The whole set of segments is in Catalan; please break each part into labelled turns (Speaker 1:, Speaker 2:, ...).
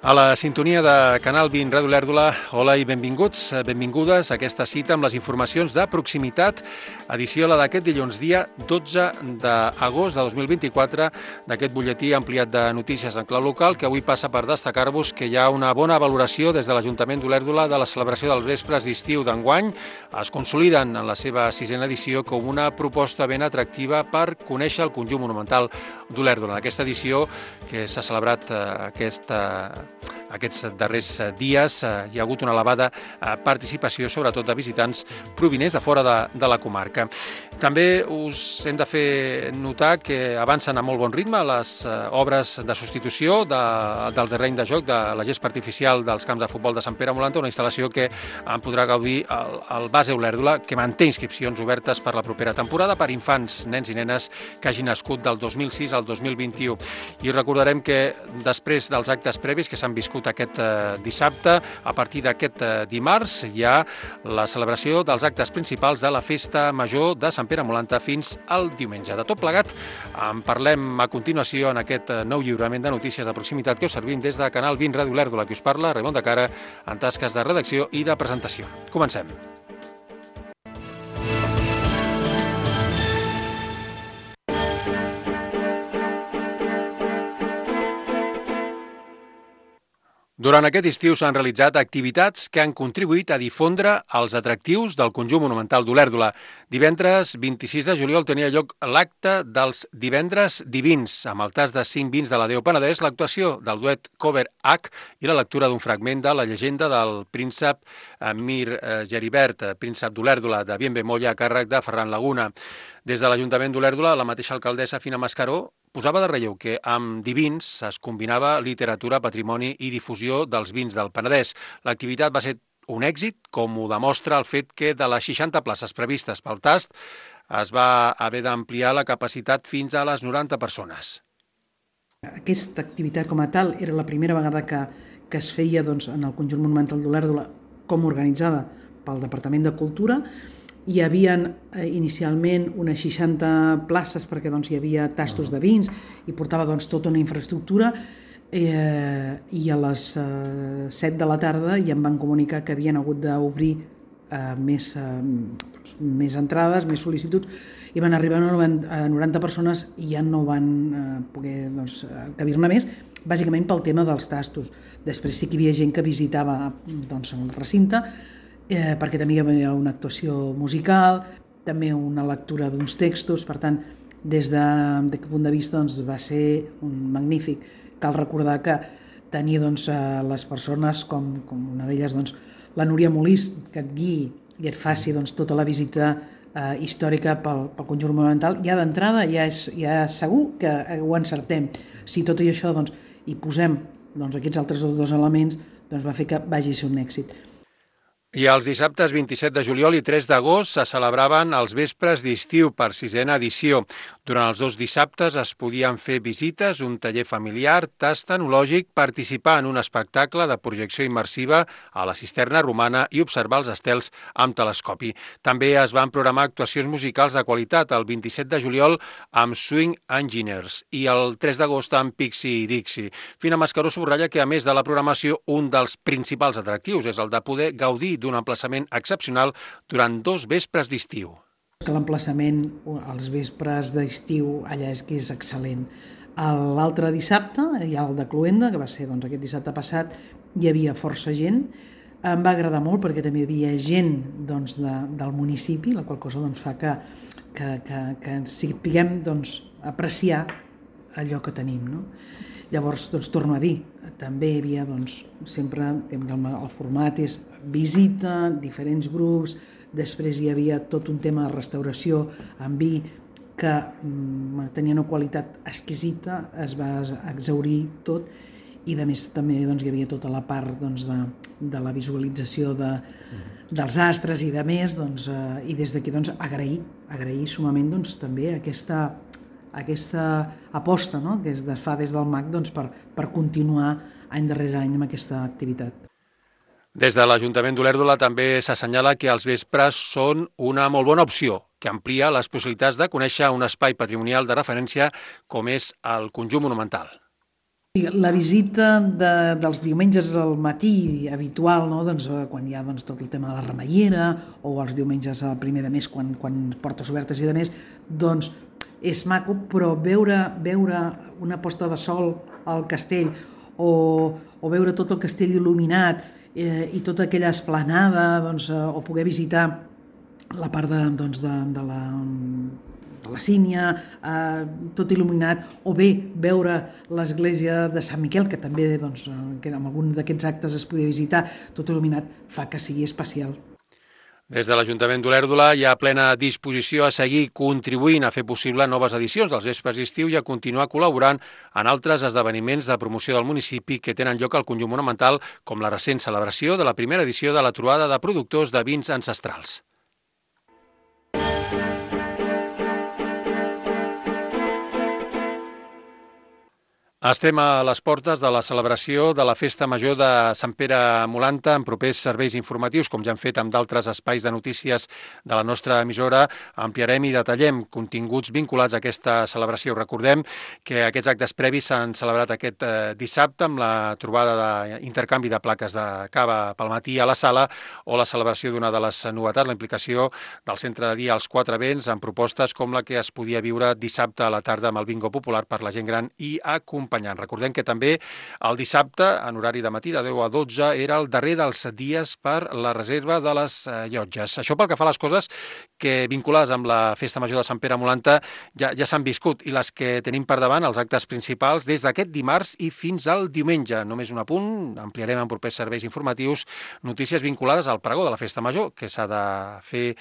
Speaker 1: A la sintonia de Canal 20 Ràdio Olèrdola, hola i benvinguts, benvingudes a aquesta cita amb les informacions de proximitat, edició la d'aquest dilluns, dia 12 d'agost de 2024, d'aquest butlletí ampliat de notícies en clau local, que avui passa per destacar-vos que hi ha una bona valoració des de l'Ajuntament d'Olèrdola de la celebració dels vespres d'estiu d'enguany. Es consoliden en la seva sisena edició com una proposta ben atractiva per conèixer el conjunt monumental d'Olèrdola. En aquesta edició que s'ha celebrat aquests darrers dies hi ha hagut una elevada participació, sobretot de visitants provinents de fora de la comarca. També us hem de fer notar que avancen a molt bon ritme les obres de substitució del terreny de joc de la gespa artificial dels camps de futbol de Sant Pere Molanta, una instal·lació que en podrà gaudir el Base Olèrdola, que manté inscripcions obertes per la propera temporada per infants, nens i nenes que hagin nascut del 2006 al 2021. I recordarem que després dels actes previs que s'han viscut aquest dissabte, a partir d'aquest dimarts hi ha la celebració dels actes principals de la Festa Major de Sant Pere Molanta fins al diumenge. De tot plegat en parlem a continuació en aquest nou lliurament de notícies de proximitat que us servim des de Canal 20 Ràdio Olèrdola, que us parla Raimon de Cara en tasques de redacció i de presentació. Comencem. Durant aquest estiu s'han realitzat activitats que han contribuït a difondre els atractius del conjunt monumental d'Olèrdola. Divendres 26 de juliol tenia lloc l'acte dels Divendres Divins, amb el tast de 5 vins de la Déu Penedès, l'actuació del duet Cover H i la lectura d'un fragment de la llegenda del príncep Mir Geribert, príncep d'Olèrdola, de Bienvemolla, a càrrec de Ferran Laguna. Des de l'Ajuntament d'Olèrdola, la mateixa alcaldessa Fina Mascaró posava de relleu que amb divins es combinava literatura, patrimoni i difusió dels vins del Penedès. L'activitat va ser un èxit, com ho demostra el fet que de les 60 places previstes pel tast es va haver d'ampliar la capacitat fins a les 90 persones.
Speaker 2: Aquesta activitat com a tal era la primera vegada que es feia en el conjunt monumental d'Olèrdola com organitzada pel Departament de Cultura. Hi havia inicialment unes 60 places perquè hi havia tastos de vins i portava tota una infraestructura i a les 7 de la tarda ja em van comunicar que havien hagut d'obrir més entrades, més sol·licituds i van arribar a 90 persones i ja no van poder cabir-ne més, bàsicament pel tema dels tastos. Després sí que hi havia gent que visitava el recinte perquè també hi havia una actuació musical, també una lectura d'uns textos, per tant, des d'aquest punt de vista va ser un magnífic. Cal recordar que tenia les persones com una d'elles, la Núria Molís, que et guiï i et faci tota la visita històrica pel conjunt monumental. Ja d'entrada ja és segur que ho encertem. Si tot i això hi posem aquests altres dos elements, va fer que vagi a ser un èxit.
Speaker 1: I els dissabtes 27 de juliol i 3 d'agost se celebraven els vespres d'estiu per sisena edició. Durant els dos dissabtes es podien fer visites, un taller familiar, tast enològic, participar en un espectacle de projecció immersiva a la cisterna romana i observar els estels amb telescopi. També es van programar actuacions musicals de qualitat el 27 de juliol amb Swing Engineers i el 3 d'agost amb Pixie Dixie. Fina Mascaró subratlla que, a més de la programació, un dels principals atractius és el de poder gaudir d'un emplaçament excepcional durant 2 vespres d'estiu.
Speaker 2: L'emplaçament als vespres d'estiu allà és que és excel·lent. L'altre dissabte, hi ha el de Cluenda, que va ser aquest dissabte passat, hi havia força gent. Em va agradar molt perquè també hi havia gent del municipi, la qual cosa fa que sapiguem apreciar allò que tenim, no? Llavors, torno a dir, també hi havia sempre el format és visita, diferents grups, després hi havia tot un tema de restauració amb vi que tenia una qualitat exquisita, es va exhaurir tot i a més també hi havia tota la part de la visualització dels astres i de més, i des d'aquí agrair sumament també aquesta aposta que es fa des del MAC per continuar any darrere any amb aquesta activitat.
Speaker 1: Des de l'Ajuntament d'Olèrdola també s'assenyala que els vespres són una molt bona opció, que amplia les possibilitats de conèixer un espai patrimonial de referència com és el conjunt monumental.
Speaker 2: La visita dels diumenges al matí habitual, no? Doncs, quan hi ha tot el tema de la remeiera, o els diumenges al primer de mes quan portes obertes i de més, doncs és maco, però veure una posta de sol al castell o veure tot el castell il·luminat i tota aquella esplanada, o poder visitar la part de la sínia, tot il·luminat, o bé veure l'església de Sant Miquel, que també que en algun d'aquests actes es podia visitar, tot il·luminat, fa que sigui especial.
Speaker 1: Des de l'Ajuntament d'Olèrdola hi ha plena disposició a seguir contribuint a fer possible noves edicions dels vespres d'estiu i a continuar col·laborant en altres esdeveniments de promoció del municipi que tenen lloc al conjunt monumental, com la recent celebració de la primera edició de la trobada de productors de vins ancestrals. Estem a les portes de la celebració de la Festa Major de Sant Pere Molanta en propers serveis informatius, com ja hem fet amb d'altres espais de notícies de la nostra emissora. Ampliarem i detallem continguts vinculats a aquesta celebració. Recordem que aquests actes previs s'han celebrat aquest dissabte amb la trobada d'intercanvi de plaques de cava pel matí a la sala o la celebració d'una de les novetats, la implicació del centre de dia als 4 vents en propostes com la que es podia viure dissabte a la tarda amb el bingo popular per la gent gran i acompanyant. Recordem que també el dissabte, en horari de matí, de 10 a 12, era el darrer dels dies per la reserva de les llotges. Això pel que fa a les coses que vinculades amb la Festa Major de Sant Pere Molanta ja s'han viscut, i les que tenim per davant, els actes principals, des d'aquest dimarts i fins al diumenge. Només un apunt, ampliarem en propers serveis informatius notícies vinculades al pregó de la Festa Major, que s'ha de fer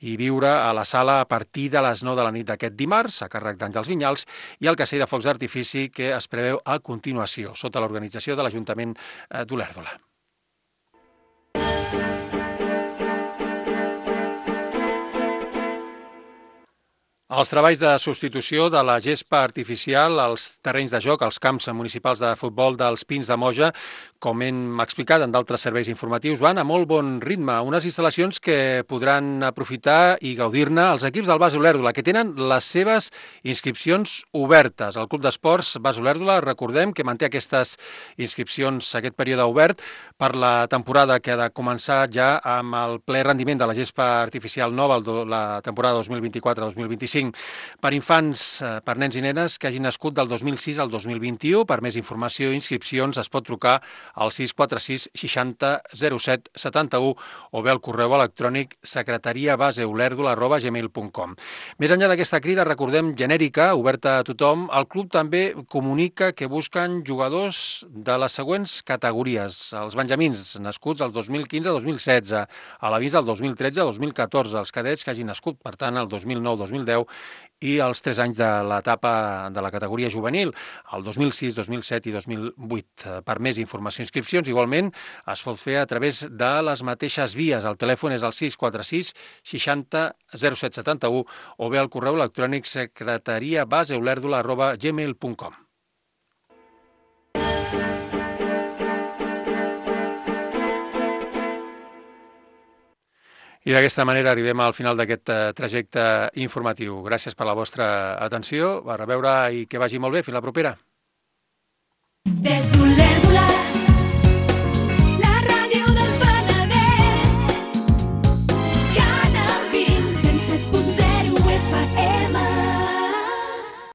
Speaker 1: i viure a la sala a partir de les 9 de la nit d'aquest dimarts, a càrrec d'Àngels Vinyals, i el castell de focs d'artifici que es preveu a continuació, sota l'organització de l'Ajuntament d'Olèrdola. Els treballs de substitució de la gespa artificial als terrenys de joc, als camps municipals de futbol dels Pins de Moja, com hem explicat en d'altres serveis informatius, van a molt bon ritme. Unes instal·lacions que podran aprofitar i gaudir-ne els equips del Bas Olèrdola, que tenen les seves inscripcions obertes. El Club d'Esports Bas Olèrdola, recordem que manté aquestes inscripcions, aquest període obert, per la temporada que ha de començar ja amb el ple rendiment de la gespa artificial nova, la temporada 2024-2025. Per infants, per nens i nenes que hagin nascut del 2006 al 2021. Per més informació i inscripcions es pot trucar al 646 60 07 71 o bé al correu electrònic secretariabaseolèrdola@gmail.com. Més enllà d'aquesta crida, recordem, genèrica, oberta a tothom, el club també comunica que busquen jugadors de les següents categories. Els benjamins, nascuts el 2015-2016, a l'avís del 2013-2014, els cadets que hagin nascut, per tant, el 2009-2010, i els 3 anys de l'etapa de la categoria juvenil, el 2006, 2007 i 2008. Per més informació i inscripcions, igualment, es pot fer a través de les mateixes vies. El telèfon és el 646 60 07 71 o bé al correu electrònic secretariabaseolèrdola@gmail.com. I d'aquesta manera arribem al final d'aquest trajecte informatiu. Gràcies per la vostra atenció, a reveure i que vagi molt bé. Fins la propera. Des d'Olèrdola.